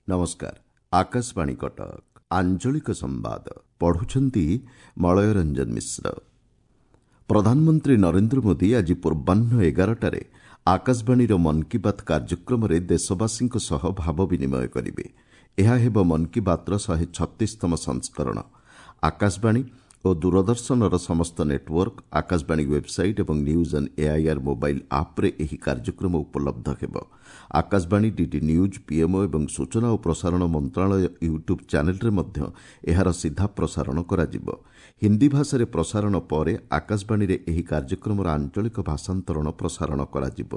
ନମସ୍କାର, ଆକାଶବାଣୀ କଟକ। ଆଞ୍ଚଳିକ ସମ୍ବାଦ ପଢୁଛନ୍ତି ମଳୟ ରଞ୍ଜନ ମିଶ୍ର। ପ୍ରଧାନମନ୍ତ୍ରୀ ନରେନ୍ଦ୍ର ମୋଦି ଆଜି ପୂର୍ବାହ୍ନ 11ଟାରେ ଆକାଶବାଣୀର ମନ୍ କି ବାତ୍ କାର୍ଯ୍ୟକ୍ରମରେ ଦେଶବାସୀଙ୍କ ସହ ଭାବ ବିନିମୟ କରିବେ। ଏହା ହେବ ମନ୍ କି ବାତ୍ର 136ତମ ସଂସ୍କରଣ। ଆକାଶବାଣୀ ଓ ଦୂରଦର୍ଶନର ସମସ୍ତ ନେଟୱର୍କ, ଆକାଶବାଣୀ ୱେବ୍ସାଇଟ୍ ଏବଂ ନ୍ୟୁଜ୍ ଅନ୍ ଏଆଇଆର୍ ମୋବାଇଲ୍ ଆପ୍ରେ ଏହି କାର୍ଯ୍ୟକ୍ରମ ଉପଲବ୍ଧ ହେବ। ଆକାଶବାଣୀ, ଡିଡି ନ୍ୟୁଜ୍, ପିଏମ୍ଓ ଏବଂ ସୂଚନା ଓ ପ୍ରସାରଣ ମନ୍ତ୍ରଣାଳୟ ୟୁଟ୍ୟୁବ୍ ଚ୍ୟାନେଲ୍ରେ ମଧ୍ୟ ଏହାର ସିଧା ପ୍ରସାରଣ କରାଯିବ। ହିନ୍ଦୀ ଭାଷାରେ ପ୍ରସାରଣ ପରେ ଆକାଶବାଣୀରେ ଏହି କାର୍ଯ୍ୟକ୍ରମର ଆଞ୍ଚଳିକ ଭାଷାନ୍ତରଣ ପ୍ରସାରଣ କରାଯିବ।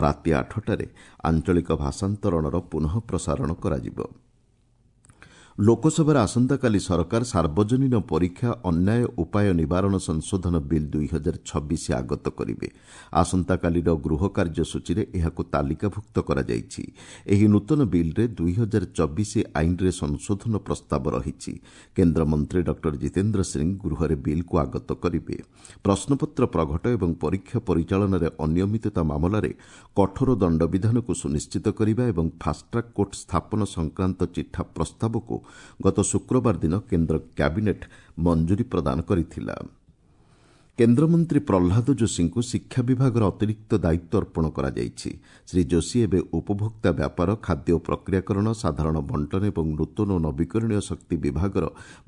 ରାତି 8ଟାରେ ଆଞ୍ଚଳିକ ଭାଷାନ୍ତରଣର ପୁନଃ ପ୍ରସାରଣ କରାଯିବ। ଲୋକସଭାରେ ଆସନ୍ତାକାଲି ସରକାର ସାର୍ବଜନୀନ ପରୀକ୍ଷା ଅନ୍ୟାୟ ଉପାୟ ନିବାରଣ ସଂଶୋଧନ ବିଲ୍ 2026 ଆଗତ କରିବେ। ଆସନ୍ତାକାଲିର ଗୃହ କାର୍ଯ୍ୟସୂଚୀରେ ଏହାକୁ ତାଲିକାଭୁକ୍ତ କରାଯାଇଛି। ଏହି ନୂତନ ବିଲ୍ରେ 2024 ଆଇନରେ ସଂଶୋଧନ ପ୍ରସ୍ତାବ ରହିଛି। କେନ୍ଦ୍ରମନ୍ତ୍ରୀ ଡକ୍ଟର ଜିତେନ୍ଦ୍ର ସିଂ ଗୃହରେ ବିଲ୍କୁ ଆଗତ କରିବେ। ପ୍ରଶ୍ନପତ୍ର ପ୍ରଘଟ ଏବଂ ପରୀକ୍ଷା ପରିଚାଳନାରେ ଅନିୟମିତତା ମାମଲାରେ କଠୋର ଦଣ୍ଡବିଧାନକୁ ସୁନିଶ୍ଚିତ କରିବା ଏବଂ ଫାଷ୍ଟ୍ରାକ୍ କୋର୍ଟ ସ୍ଥାପନ ସଂକ୍ରାନ୍ତ ଚିଠା ପ୍ରସ୍ତାବକୁ ଗତ ଶୁକ୍ରବାର ଦିନ କେନ୍ଦ୍ର କ୍ୟାବିନେଟ୍ ମଞ୍ଜୁରୀ ପ୍ରଦାନ କରିଥିଲା। କେନ୍ଦ୍ରମନ୍ତ୍ରୀ ପ୍ରହ୍ଲାଦ ଯୋଶୀଙ୍କୁ ଶିକ୍ଷା ବିଭାଗର ଅତିରିକ୍ତ ଦାୟିତ୍ୱ ଅର୍ପଣ କରାଯାଇଛି। ଶ୍ରୀ ଯୋଶୀ ଏବେ ଉପଭୋକ୍ତା ବ୍ୟାପାର, ଖାଦ୍ୟ ଓ ପ୍ରକ୍ରିୟାକରଣ, ସାଧାରଣ ବଣ୍ଟନ ଏବଂ ନୂତନ ଓ ନବୀକରଣୀୟ ଶକ୍ତି ବିଭାଗର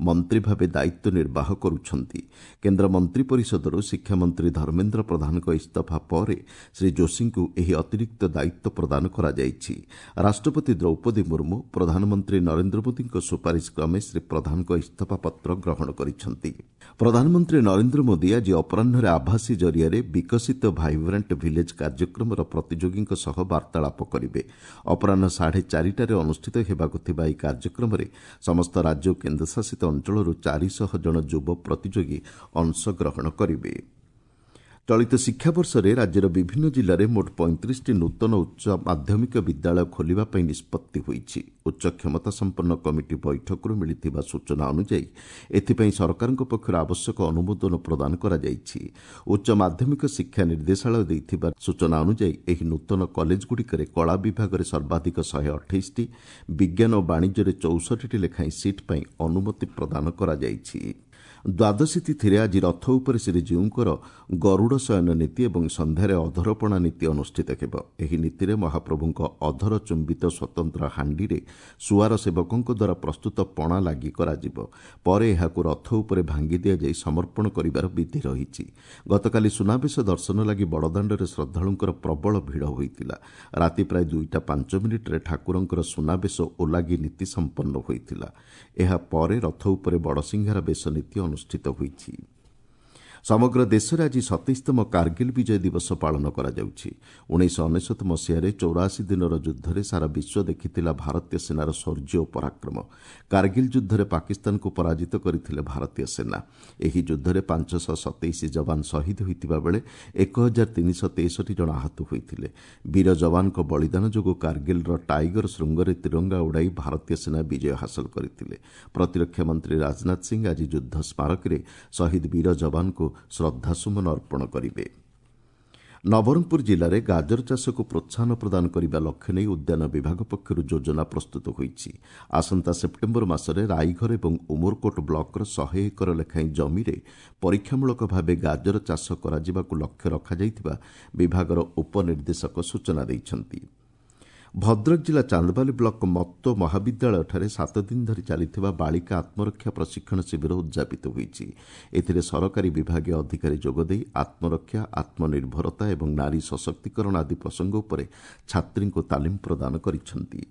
ମନ୍ତ୍ରୀ ଭାବେ ଦାୟିତ୍ୱ ନିର୍ବାହ କରୁଛନ୍ତି। କେନ୍ଦ୍ର ମନ୍ତ୍ରୀ ପରିଷଦରୁ ଶିକ୍ଷାମନ୍ତ୍ରୀ ଧର୍ମେନ୍ଦ୍ର ପ୍ରଧାନଙ୍କ ଇସ୍ତଫା ପରେ ଶ୍ରୀ ଯୋଶୀଙ୍କୁ ଏହି ଅତିରିକ୍ତ ଦାୟିତ୍ୱ ପ୍ରଦାନ କରାଯାଇଛି। ରାଷ୍ଟ୍ରପତି ଦ୍ରୌପଦୀ ମୁର୍ମୁ ପ୍ରଧାନମନ୍ତ୍ରୀ ନରେନ୍ଦ୍ର ମୋଦିଙ୍କ ସୁପାରିଶ କ୍ରମେ ଶ୍ରୀ ପ୍ରଧାନଙ୍କ ଇସ୍ତଫାପତ୍ର ଗ୍ରହଣ କରିଛନ୍ତି। ପ୍ରଧାନମନ୍ତ୍ରୀ ନରେନ୍ଦ୍ର ମୋଦି ଆଜି ଅପରାହ୍ନରେ ଆଭାସୀ ଜରିଆରେ ବିକଶିତ ଭାଇବ୍ରାଣ୍ଟ ଭିଲେଜ୍ କାର୍ଯ୍ୟକ୍ରମର ପ୍ରତିଯୋଗୀଙ୍କ ସହ ବାର୍ତ୍ତାଳାପ କରିବେ। ଅପରାହ୍ନ 4:30ଟାରେ ଅନୁଷ୍ଠିତ ହେବାକୁ ଥିବା ଏହି କାର୍ଯ୍ୟକ୍ରମରେ ସମସ୍ତ ରାଜ୍ୟ ଓ କେନ୍ଦ୍ରଶାସିତ ଅଞ୍ଚଳରୁ 400 ଜଣ ଯୁବ ପ୍ରତିଯୋଗୀ ଅଂଶଗ୍ରହଣ କରିବେ। ଚଳିତ ଶିକ୍ଷାବର୍ଷରେ ରାଜ୍ୟର ବିଭିନ୍ନ ଜିଲ୍ଲାରେ ମୋଟ 35ଟି ନୂତନ ଉଚ୍ଚ ମାଧ୍ୟମିକ ବିଦ୍ୟାଳୟ ଖୋଲିବା ପାଇଁ ନିଷ୍ପତ୍ତି ହୋଇଛି। ଉଚ୍ଚ କ୍ଷମତା ସମ୍ପନ୍ନ କମିଟି ବୈଠକରୁ ମିଳିଥିବା ସୂଚନା ଅନୁଯାୟୀ ଏଥିପାଇଁ ସରକାରଙ୍କ ପକ୍ଷରୁ ଆବଶ୍ୟକ ଅନୁମୋଦନ ପ୍ରଦାନ କରାଯାଇଛି। ଉଚ୍ଚ ମାଧ୍ୟମିକ ଶିକ୍ଷା ନିର୍ଦ୍ଦେଶାଳୟ ଦେଇଥିବା ସୂଚନା ଅନୁଯାୟୀ ଏହି ନୂତନ କଲେଜଗୁଡ଼ିକରେ କଳା ବିଭାଗରେ ସର୍ବାଧିକ 128ଟି, ବିଜ୍ଞାନ ଓ ବାଣିଜ୍ୟରେ 64ଟି ଲେଖାଏଁ ସିଟ୍ ପାଇଁ ଅନୁମତି ପ୍ରଦାନ କରାଯାଇଛି। ଦ୍ୱାଦଶୀ ତିଥିରେ ଆଜି ରଥ ଉପରେ ଶ୍ରୀଜୀଉଙ୍କର ଗରୁଡ଼ ଶୟନ ନୀତି ଏବଂ ସନ୍ଧ୍ୟାରେ ଅଧରପଣା ନୀତି ଅନୁଷ୍ଠିତ ହେବ। ଏହି ନୀତିରେ ମହାପ୍ରଭୁଙ୍କ ଅଧର ଚୁମ୍ବିତ ସ୍ୱତନ୍ତ୍ର ହାଣ୍ଡିରେ ସୁଆର ସେବକଙ୍କ ଦ୍ୱାରା ପ୍ରସ୍ତୁତ ପଣା ଲାଗି କରାଯିବ। ପରେ ଏହାକୁ ରଥ ଉପରେ ଭାଙ୍ଗି ଦିଆଯାଇ ସମର୍ପଣ କରିବାର ବିଧି ରହିଛି। ଗତକାଲି ସୁନାବେଶ ଦର୍ଶନ ଲାଗି ବଡ଼ଦାଣ୍ଡରେ ଶ୍ରଦ୍ଧାଳୁଙ୍କର ପ୍ରବଳ ଭିଡ଼ ହୋଇଥିଲା। ରାତି ପ୍ରାୟ 2ଟା 5 ମିନିଟ୍ରେ ଠାକୁରଙ୍କର ସୁନାବେଶ ଓଲାଗି ନୀତି ସମ୍ପନ୍ନ ହୋଇଥିଲା। ଏହାପରେ ରଥ ଉପରେ ବଡ଼ସିଂହାର ବେଶ ନୀତି ଅନୁଷ୍ଠିତ ହୋଇଛି। ସମଗ୍ର ଦେଶରେ ଆଜି 27ତମ କାର୍ଗିଲ୍ ବିଜୟ ଦିବସ ପାଳନ କରାଯାଉଛି। 1999 ମସିହାରେ 84 ଦିନର ଯୁଦ୍ଧରେ ସାରା ବିଶ୍ୱ ଦେଖିଥିଲା ଭାରତୀୟ ସେନାର ଶୌର୍ଯ୍ୟ ଓ ପରାକ୍ରମ। କାର୍ଗିଲ୍ ଯୁଦ୍ଧରେ ପାକିସ୍ତାନକୁ ପରାଜିତ କରିଥିଲେ ଭାରତୀୟ ସେନା। ଏହି ଯୁଦ୍ଧରେ 527 ଯବାନ ଶହୀଦ ହୋଇଥିବା ବେଳେ 1363 ଜଣ ଆହତ ହୋଇଥିଲେ। ବୀର ଯବାନଙ୍କ ବଳିଦାନ ଯୋଗୁଁ କାର୍ଗିଲ୍ର ଟାଇଗର ଶୃଙ୍ଗରେ ତିରଙ୍ଗା ଉଡ଼ାଇ ଭାରତୀୟ ସେନା ବିଜୟ ହାସଲ କରିଥିଲେ। ପ୍ରତିରକ୍ଷା ମନ୍ତ୍ରୀ ରାଜନାଥ ସିଂ ଆଜି ଯୁଦ୍ଧ ସ୍ମାରକୀରେ ଶହୀଦ ବୀର ଯବାନଙ୍କୁ ଶ୍ରଦ୍ଧାସୁମନ ଅର୍ପଣ କରିବେ। ନବରଙ୍ଗପୁର ଜିଲ୍ଲାରେ ଗାଜର ଚାଷକୁ ପ୍ରୋତ୍ସାହନ ପ୍ରଦାନ କରିବା ଲକ୍ଷ୍ୟ ନେଇ ଉଦ୍ୟାନ ବିଭାଗ ପକ୍ଷରୁ ଯୋଜନା ପ୍ରସ୍ତୁତ ହୋଇଛି। ଆସନ୍ତା ସେପ୍ଟେମ୍ବର ମାସରେ ରାଇଘର ଏବଂ ଉମରକୋଟ ବ୍ଲକର 100 ଏକର ଲେଖାଏଁ ଜମିରେ ପରୀକ୍ଷାମୂଳକ ଭାବେ ଗାଜର ଚାଷ କରାଯିବାକୁ ଲକ୍ଷ୍ୟ ରଖାଯାଇଥିବା ବିଭାଗର ଉପନିର୍ଦ୍ଦେଶକ ସୂଚନା ଦେଇଛନ୍ତି। ଭଦ୍ରକ ଜିଲ୍ଲା ଚାନ୍ଦବାଲି ବ୍ଲକ ମତ୍ତ ମହାବିଦ୍ୟାଳୟଠାରେ 7 ଦିନ ଧରି ଚାଲିଥିବା ବାଳିକା ଆତ୍ମରକ୍ଷା ପ୍ରଶିକ୍ଷଣ ଶିବିର ଉଦ୍ଯାପିତ ହୋଇଛି। ଏଥିରେ ସରକାରୀ ବିଭାଗୀୟ ଅଧିକାରୀ ଯୋଗଦେଇ ଆତ୍ମରକ୍ଷା, ଆତ୍ମନିର୍ଭରତା ଏବଂ ନାରୀ ସଶକ୍ତିକରଣ ଆଦି ପ୍ରସଙ୍ଗ ଉପରେ ଛାତ୍ରୀଙ୍କୁ ତାଲିମ ପ୍ରଦାନ କରିଛନ୍ତି।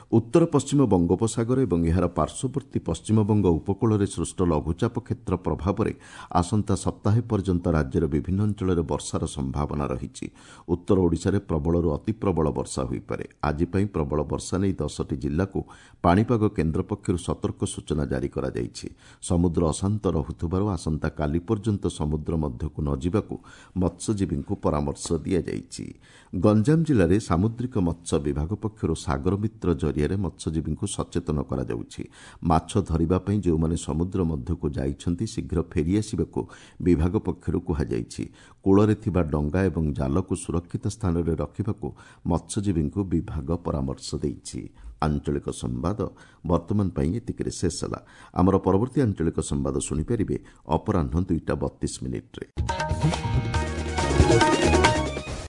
ଉତ୍ତର ପଶ୍ଚିମ ବଙ୍ଗୋପସାଗର ଏବଂ ଏହାର ପାର୍ଶ୍ୱବର୍ତ୍ତୀ ପଶ୍ଚିମବଙ୍ଗ ଉପକୂଳରେ ସୃଷ୍ଟ ଲଘୁଚାପ କ୍ଷେତ୍ର ପ୍ରଭାବରେ ଆସନ୍ତା ସପ୍ତାହେ ପର୍ଯ୍ୟନ୍ତ ରାଜ୍ୟର ବିଭିନ୍ନ ଅଞ୍ଚଳରେ ବର୍ଷାର ସମ୍ଭାବନା ରହିଛି। ଉତ୍ତର ଓଡ଼ିଶାରେ ପ୍ରବଳରୁ ଅତି ପ୍ରବଳ ବର୍ଷା ହୋଇପାରେ। ଆଜି ପାଇଁ ପ୍ରବଳ ବର୍ଷା ନେଇ 10ଟି ଜିଲ୍ଲାକୁ ପାଣିପାଗ କେନ୍ଦ୍ର ପକ୍ଷରୁ ସତର୍କ ସୂଚନା ଜାରି କରାଯାଇଛି। ସମୁଦ୍ର ଅଶାନ୍ତ ରହୁଥିବାରୁ ଆସନ୍ତାକାଲି ପର୍ଯ୍ୟନ୍ତ ସମୁଦ୍ର ମଧ୍ୟକୁ ନ ଯିବାକୁ ମତ୍ସ୍ୟଜୀବୀଙ୍କୁ ପରାମର୍ଶ ଦିଆଯାଇଛି। ଗଞ୍ଜାମ ଜିଲ୍ଲାରେ ସାମୁଦ୍ରିକ ମତ୍ସ୍ୟ ବିଭାଗ ପକ୍ଷରୁ ସାଗରମିତ୍ର ଜରିଆରେ ମତ୍ସ୍ୟଜୀବୀଙ୍କୁ ସଚେତନ କରାଯାଉଛି। ମାଛ ଧରିବା ପାଇଁ ଯେଉଁମାନେ ସମୁଦ୍ର ମଧ୍ୟକୁ ଯାଇଛନ୍ତି, ଶୀଘ୍ର ଫେରିଆସିବାକୁ ବିଭାଗ ପକ୍ଷରୁ କୁହାଯାଇଛି। କୂଳରେ ଥିବା ଡଙ୍ଗା ଏବଂ ଜାଲକୁ ସୁରକ୍ଷିତ ସ୍ଥାନରେ ରଖିବାକୁ ମତ୍ସ୍ୟଜୀବୀଙ୍କୁ ବିଭାଗ ପରାମର୍ଶ ଦେଇଛି। ଆଞ୍ଚଳିକ ସମ୍ବାଦ ବର୍ତ୍ତମାନ ପାଇଁ ଏତିକିରେ ଶେଷ ହେଲା। ଆମର ପରବର୍ତ୍ତୀ ଆଞ୍ଚଳିକ ସମ୍ବାଦ ଶୁଣିପାରିବେ ଅପରାହ୍ନ 2ଟା 32 ମିନିଟ୍ରେ।